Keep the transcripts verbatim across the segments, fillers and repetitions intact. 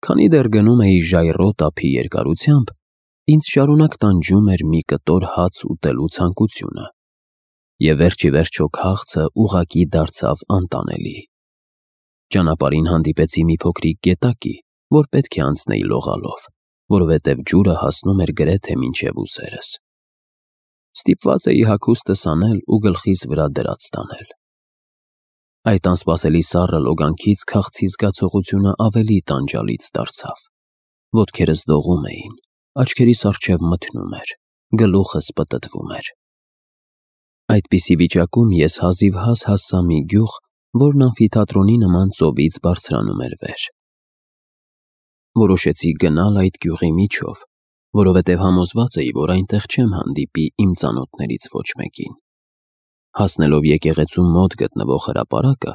Քանի դեռ գնում էի ժայռոտ ափի երկարությամբ, ինձ շարունակ տանջում էր մի կտոր հաց ուտելու ցանկությունը, և վերջ ի վերջո քաղցը ուղղակի դարձավ անտանելի։ Ճանապարհին հանդիպեցի մի փոքրիկ գետակի, որ պետք է անցնեի լողալով, որովհետև ջուրը հասնում էր գրեթե մինչև ուսերս։ Ստիպված էի հագուստս անել ու գլխիս վրա դրած տանել։ Այդ անսպասելի սառը լոգանքից քաղցի զգացողությունը ավելի տանջալից դարձավ։ Ոտքերս դողում էին, աչքերիս առջև մթնում էր, գլուխս պտտվում էր։ Այդպիսի վիճակում ես հազիվհազ հասա մի գյուղ, որն ամֆիթատրոնի նման ծովից բարձրանում էր վեր։ Որոշեցի գնալ այդ գյուղի միջով, որովհետև համոզված էի, որ այնտեղ չեմ հանդիպի իմ ծանոթներից ոչ մեկին։ Հասնելով եկեղեցու մոտ գտնվող հրապարակը,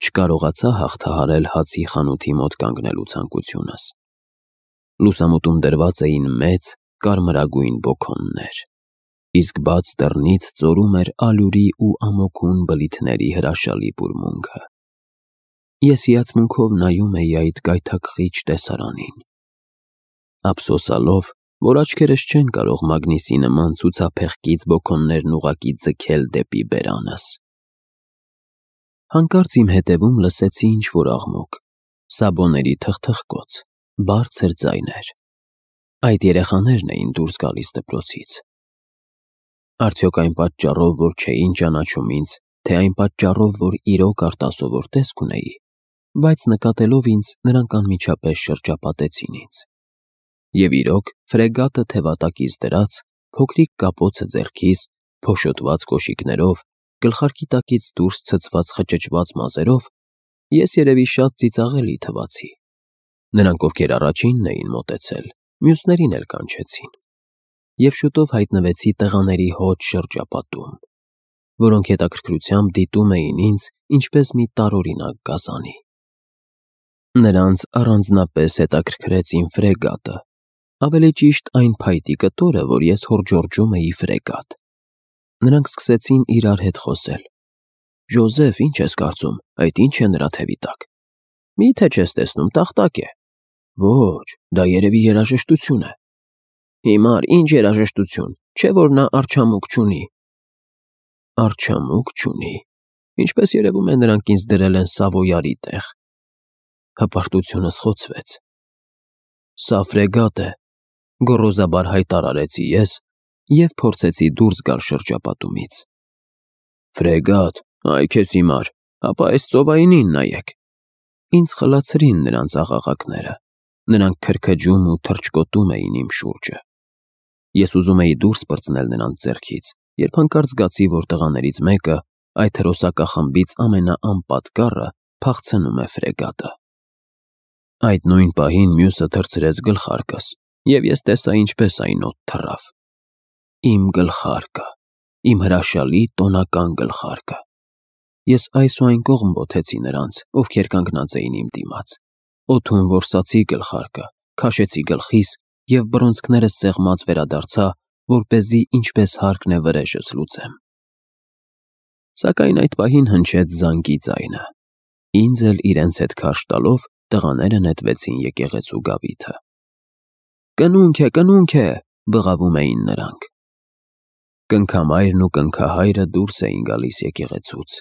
չկարողացա հաղթահարել հացի խանութի մոտ կանգնելու ցանկությունս։ Լուսամուտում դրված էին մեծ, կարմրագույն բոքոններ, իսկ բաց դռնից ծորում էր ալյուրի ու ամոքուն բլիթների հրաշալի բուրմունքը։ Ես հիացմունքով նայում էի այդ գայթակղիչ տեսարանին, ափսոսալով, որ աչքերս չեն կարող մագնիսի նման ցուցափեղկից բոքոններն ուղղակի ձգել դեպի բերանս։ Հանկարծ իմ հետևում լսեցի ինչ-որ աղմուկ, սաբոների թխթխկոց, բարձր ձայներ։ Այդ երեխաներն էին դուրս գալիս դպրոցից։ Արդյոք այն պատճառով, որ չէին ճանաչում ինձ, թե այն պատճառով, որ իրոք արտասովոր տեսք ունեի, բայց նկատելով ինձ, նրանք անմիջապես շրջապատեցին ինձ։ Եվ իրոք, ֆրեգատը թևատակից դրած, փոքրիկ կապոցը ձեռքիս, փոշոտված կոշիկներով, գլխարկի տակից դուրս ցցված խճճված մազերով, ես երևի շատ ծիծաղելի թվացի։ Նրանք, ովքեր առաջինն էին մոտեցել, մյուսներին էլ կանչեցին։ Եվ շուտով հայտնվեցի տղաների հոտ շրջապատում, որոնք հետաքրքրությամբ դիտում էին ինձ ինչպես մի տարօրինակ գազանի։ Նրանց առանձնապես հետաքրքրեց իմ ֆրեգատը, ավելի ճիշտ այն փայտի կտորը, որ ես հորդժորջում էի ֆրեգատ։ Նրանք սկսեցին իրար հետ խոսել։ «Ժոզեֆ, ինչ ես կարծում, այդ ի՞նչ է նրա թևի տակ»։ «Մի՞թե չես տեսնում, տախտակ է»։ «Ոչ, դա երևի երաժշտություն է»։ «Հիմար, ինչ երաժշտություն, չէ՞ որ նա արջամուկ չունի»։ «Արջամուկ չունի»։ Ինչպես երևում է, նրանք ինձ դրել են Սավոյարի տեղ։ Հպարտությունս խոցվեց։ «Սա ֆրեգատ է», գոռոզաբար հայտարարեցի ես և փորձեցի դուրս գալ շրջապատումից։ «Ֆրեգատ, այ քեզ հիմար, ապա այս ծովայինին նայեք»։ Ինձ խլացրին նրանց աղաղակները, նրանք քրքջում ու թռչկոտում էին իմ շուրջը։ Ես ուզում էի դուրս պրծնել նրանց ձեռքից, երբ հանկարծ զգացի, որ տղաներից մեկը, այդ հրոսակախմբից ամենաանպատկառը, փախցնում է ֆրեգատը։ Այդ նույն պահին մյուսը թռցրեց գլխարկս, և ես տեսա ինչպես այն օդ թռավ։ Իմ գլխարկը, իմ հրաշալի տոնական գլխարկը։ Ես այս ու այն կողմ բոթեցի նրանց, ովքեր կանգնած էին իմ դիմաց, օդում որսացի գլխարկը, քաշեցի գլխիս և բռունցքներս սեղմած վերադարձա, որպեսզի ինչպես հարկն է վրեժս լուծեմ։ Սակայն այդ պահին հնչեց զանգի ձայնը։ Ինձ էլ իրենց հետ քարշ տալով տղաները նետվեցին եկեղեցու գավիթը։ «Կնունք է, կնունք է», բղավում էին նրանք։ Կնքամայրն ու կնքահայրը դուրս էին գալիս եկեղեցուց։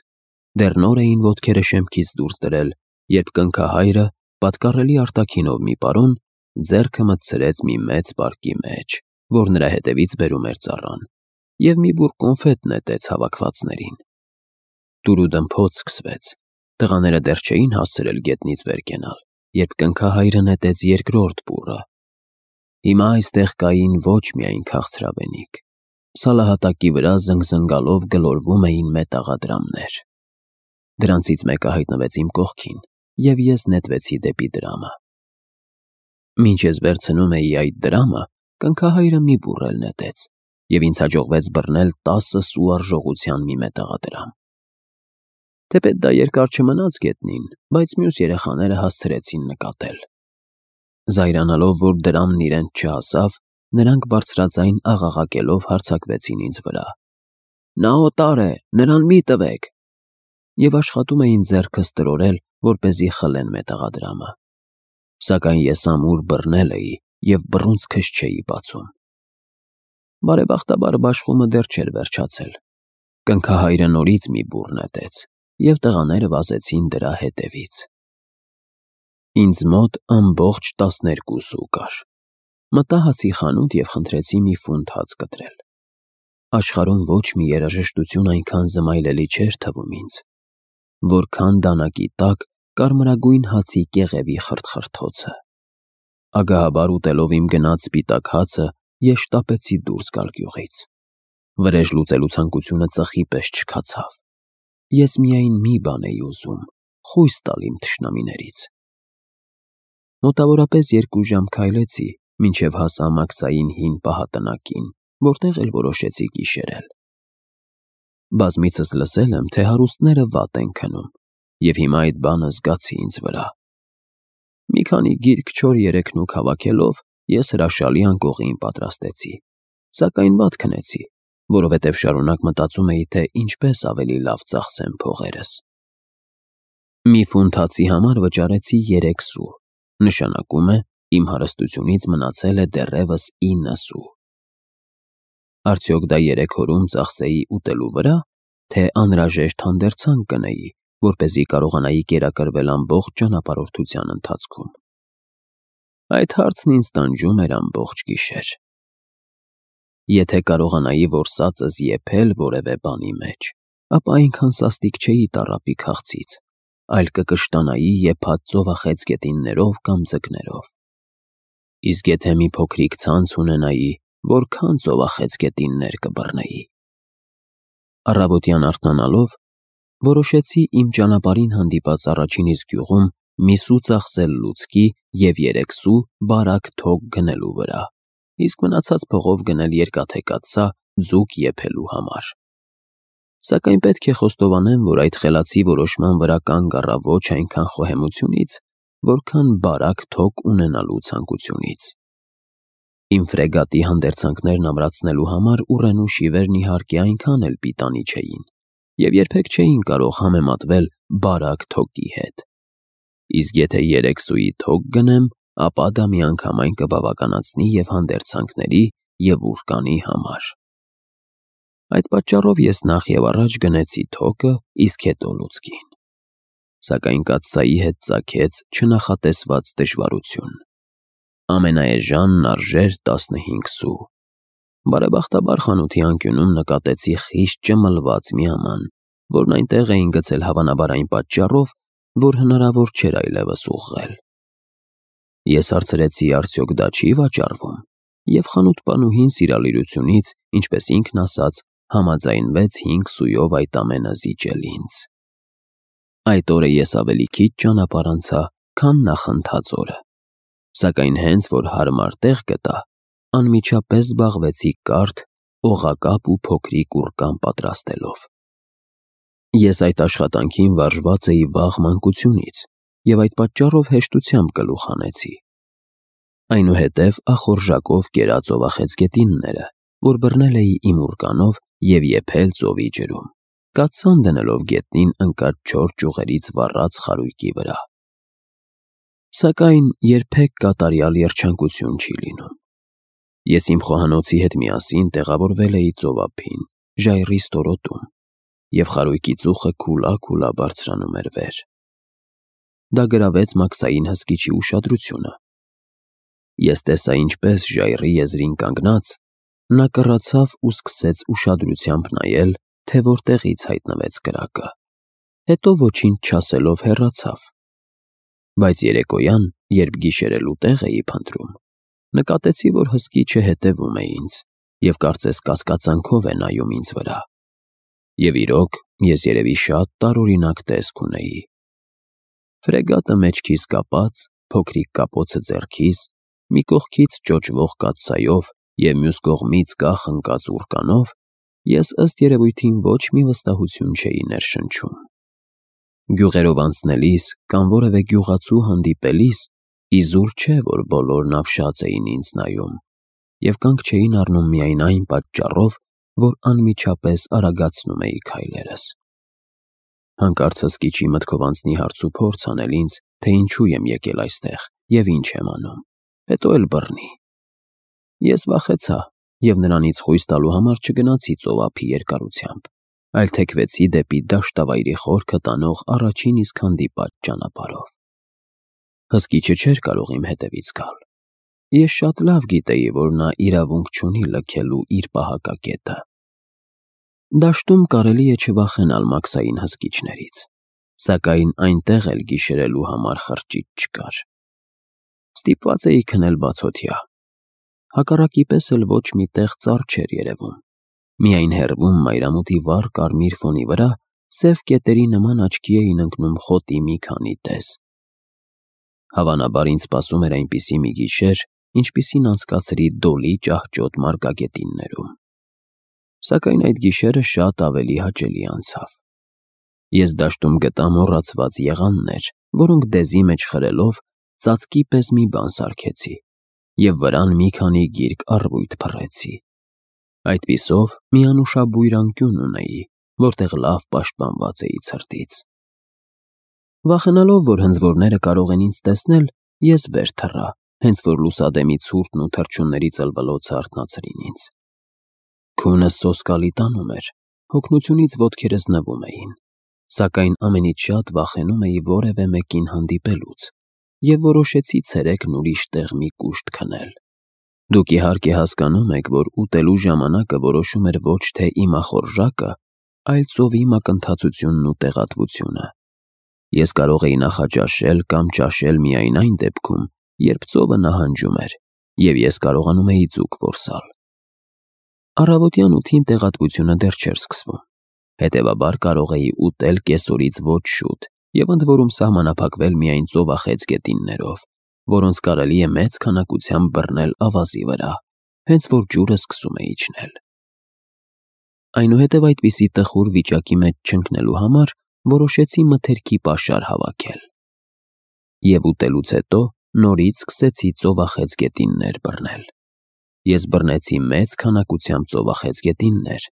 Դեռ նոր էին ոտքերը շեմքից դուրս դրել, երբ կնքահայրը, պատկառելի արտաքինով մի պարոն, ձեռքը մտցրեց մի մեծ պարկի մեջ, որ նրա հետևից բերում էր ծառան, և մի բուռ կոնֆետ նետեց հավաքվածներին։ Դուրուդմփոց սկսվեց։ Տղաները դեռ չէին հասցրել գետնից վեր կենալ, երբ կնքահայրը նետեց երկրորդ բուռը։ Հիմա այստեղ կային ոչ միայն քաղցրավենիք։ Սալահատակի վրա զնգզնգալով գլորվում էին մետաղադրամներ։ Դրանցից մեկը հայտնվեց իմ կողքին, և ես նետվեցի դեպի դրամը։ Մինչ ես վերցնում էի այդ դրամը, կնքահայրը մի բուռ էլ նետեց, և ինձ հաջողվեց բռնել տասը սու արժողության մի մետաղադրամ։ Թեպետ դա երկար չմնաց գետնին, բայց մյուս երեխաները հասցրեցին նկատել։ Զայրանալով, որ դրամն իրենց չհասավ, նրանք բարձրաձայն աղաղակելով հարձակվեցին ինձ վրա։ «Նա օտար է, նրան մի տվեք»։ Եվ աշխատում էին ձեռքս տրորել, որպեսզի խլեն մետաղադրամը։ Սակայն ես ամուր բռնել էի և բռունցքս չէի բացում։ Բարեբախտաբար բաշխումը դեռ չէր վերջացել։ Կնքահայրը նորից մի բուռ նետեց, և տղաները վազեցին դրա հետևից։ Ինձ մոտ ամբողջ տասներկու սու կար։ Մտա հացի խանութ և խնդրեցի մի ֆունտ հաց կտրել։ Աշխարհում ոչ մի երաժշտություն այնքան զմայլելի չէր թվում ինձ, որքան դանակի տակ կարմրագույն հացի կեղևի խրթխրթոցը։ Ագահաբար ուտելով իմ գնած սպիտակ հացը, ես շտապեցի դուրս գալ գյուղից։ Վրեժ լուծելու ցանկությունը ծխի պես չքացավ։ Ես միայն մի բան էի ուզում՝ խույս տալ իմ թշնամիներից։ Մոտավորապես երկու ժամ քայլեցի, մինչև հասա Մաքսային հին պահատնակին, որտեղ էլ որոշեցի գիշերել։ Բազմիցս լսել եմ, թե հարուստները վատ են քնում, և հիմա այդ բանը զգացի ինձ վրա։ Մի քանի գիրք չոր-երեքնուք հավաքելով, ես հրաշալի անկողին պատրաստեցի, սակայն վատ քնեցի, որովհետև շարունակ մտածում էի, թե ինչպես ավելի լավ ծախսեմ փողերս։ Մի ֆունտ հացի համար վճարեցի երեք սու, նշանակում է, իմ հարստությունից մնացել է դեռևս ինը սու։ Արդյոք դա երեք օրում ծախսեի ուտելու վրա, թե անհրաժեշտ հանդերձանք գնեի, որպեսզի կարողանայի կերակրվել ամբողջ ճանապարհորդության ընթացքում։ Այդ հարցն ինձ տանջում էր ամբողջ գիշեր։ Եթե կարողանայի որսածս եփել որևէ բանի մեջ, ապա այնքան սաստիկ չէի տառապի քաղցից, այլ կկշտանայի եփած ծովախեց գետիններով կամ ձկներով։ Իսկ եթե մի փոքրիկ ցանց ունենայի, որքան ծովախեց գետիններ կբռնեի։ Առավոտյան արթնանալով, որոշեցի իմ ճանապարհին հանդիպած առաջին իսկ գյուղում մի սու ծախսել լուցկի և երեք սու բարակ թոք գնելու վրա, իսկ մնացած փողով գնել երկաթե կաթսա ձուկ եփելու համար։ Սակայն պետք է խոստովանեմ, որ այդ խելացի որոշման վրա կանգ առա ոչ այնքան խոհեմությունից, որքան բարակ թոք ունենալու ցանկությունից։ Իմ ֆրեգատի հանդերձանքներն ամրացնելու համար ուռենու շիվերն իհարկե այնքան էլ պիտանի չէին, և երբեք չէին կարող համեմատվել բարակ թոկի հետ։ Իսկ եթե երեք սուի թոք գնեմ, ապա դա միանգամայն կբավականացնի և հանդերձանքների, և ուռկանի համար։ Այդ պատճառով ես նախ և առաջ գնեցի թոկը, իսկ հետո լուցկին։ Սակայն կաթսայի հետ ծագեց չնախատեսված դժվարություն։ Ամենաէժանն արժեր տասնհինգ սու։ Բարեբախտաբար խանութի անկյունում նկատեցի խիստ ճմլված մի աման, որն այնտեղ էին գցել հավանաբար այն պատճառով, որ հնարավոր չէր այլևս ուղղել։ Ես հարցրեցի արդյոք դա չի վաճառվում, և խանութպանուհին սիրալիրությունից, ինչպես ինքն ասաց, համաձայնվեց հինգ սույով այդ ամենը զիջել ինձ։ Այդ օրը ես ավելի քիչ ճանապարհ անցա, քան նախընթաց օրը, սակայն հենց որ հարմար տեղ գտա, անմիջապես զբաղվեցի կարթ, օղակապ ու փոքրիկ ուռկան պատրաստելով։ Ես այդ աշխատանքին վարժված էի վաղ մանկությունից և այդ պատճառով հեշտությամբ գլուխ հանեցի։ Այնուհետև ախորժակով կերա ծովախեց գետինները, որ բռնել էի իմ ուռկանով և եփել ծովի ջրում, կաթսան դնելով գետնին ընկած չոր ճյուղերից վառած խարույկի վրա։ Սակայն երբեք կատարյալ երջանկություն չի լինում։ Ես իմ խոհանոցի հետ միասին տեղավորվել էի ծովափին, ժայռի ստորոտում, և խարույկի ծուխը քուլա-քուլա բարձրանում էր վեր։ Դա գրավեց Մաքսային հսկիչի ուշադրությունը։ Ես տեսա, ինչպես ժայռի եզրին կանգնած, նա կռացավ ու սկսեց ուշադրությամբ նայել, թե որտեղից հայտնվեց կրակը, հետո ոչինչ չասելով հեռացավ։ Բայց երեկոյան, երբ գիշերելու տեղ էի փնտրում, նկատեցի, որ հսկիչը հետևում է ինձ և կարծես կասկածանքով է նայում ինձ վրա։ Եվ իրոք, ես երևի շատ տարօրինակ տեսք ունեի։ Ֆրեգատը մեջքիս կապած, փոքրիկ կապոցը ձեռքիս, մի կողքից ճոճվող կաթսայով և մյուս կողմից կախ ընկած ուռկանով, ես ըստ երևույթին ոչ մի վստահություն չէի ներշնչում։ Գյուղերով անցնելիս կամ որևէ գյուղացու հանդիպելիս իզուր չէ, որ բոլորն ապշած էին ինձ նայում և կանգ չէին առնում միայն այն պատճառով, որ անմիջապես արագացնում էի քայլերս։ Հանկարծ հսկիչի մտքով անցնի հարց ու փորձ անել ինձ թե ինչու եմ եկել այստեղ և ինչ եմ անում, հետո էլ բռնի։ Ես վախեցա և նրանից խույս տալու համար չգնացի ծովափի երկարությամբ, այլ թեքվեցի դեպի դաշտավայրի խորքը տանող առաջին իսկ հանդիպած ճանապարհով։ Հսկիչը չէր կարող իմ հետևից գալ։ Ես շատ լավ գիտեի, որ նա իրավունք չունի լքելու իր պահակակետը։ Դաշտում կարելի է չվախենալ մաքսային հսկիչներից, սակայն այնտեղ էլ գիշերելու համար խրճիթ չկար։ Ստիպված էի քնել բացօթյա։ Հակառակի պես էլ ոչ մի տեղ ծառ չէր երևում։ Միայն հեռվում մայրամուտի վառ կարմիր ֆոնի վրա սև կետերի նման աչքի էին ընկնում խոտի մի քանի տես։ Հավանաբար ինձ սպասում էր այնպիսի մի գիշեր, ինչպիսին անցկացրի Դոլի ճահճոտ մարգագետիններում։ Սակայն այդ գիշերը շատ ավելի հաճելի անցավ։ Ես դաշտում գտա մոռացված եղաններ, որոնք դեզի մեջ խրելով ծածկի պես մի բան սարքեցի և վրան մի քանի գիրք առվույթ փռեցի։ Այդպիսով մի անուշաբույր անկյուն ունեի, որտեղ լավ պաշտպանված էի ցրտից։ Վախենալով, որ հնձորները կարող են ինձ տեսնել, ես վեր թռա, հենց որ լուսադեմի ցուրտն ու թռչունների ծլվլոցը արթնացրին ինձ։ Քունս սոսկալի տանում էր, հոգնությունից ոտքերս նվում էին, սակայն ամենից շատ վախենում էի որևէ մեկին հանդիպելուց և որոշեցի ցերեկն ուրիշ տեղ մի կուշտ քնել։ Դուք իհարկե հասկանում եք, որ ուտելու ժամանակը որոշում էր ոչ թե իմ ախորժակը, այլ ծովի մակընթացությունն ու տեղատվությունը։ Ես կարող էի նախաճաշել կամ ճաշել միայն այն դեպքում, երբ ծովը նահանջում էր, և ես կարողանում էի ձուկ որսալ։ Առավոտյան ութին տեղատվությունը դեռ չէր սկսվում, հետևաբար կարող էի ուտել կեսօրից ոչ շուտ և ընդ որում սահմանափակվել միայն ծովախեց գետիններով, որոնց կարելի է մեծ քանակությամբ բռնել ավազի վրա, հենց որ ջուրը սկսում է իջնել։ Այնուհետև այդպիսի տխուր վիճակի մեջ չընկնելու համար որոշեցի մթերքի պաշար հավաքել։ Եվ ուտելուց հետո նորից սկսեցի ծովախեց գետիններ բռնել։ Ես բռնեցի մեծ քանակությամբ ծովախեց գետիններ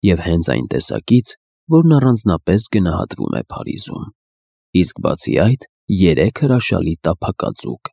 և հենց այն տեսակից, որն առանձնապես գնահատվում է Փարիզում, իսկ բացի այդ երեք հրաշալի տափակածուկ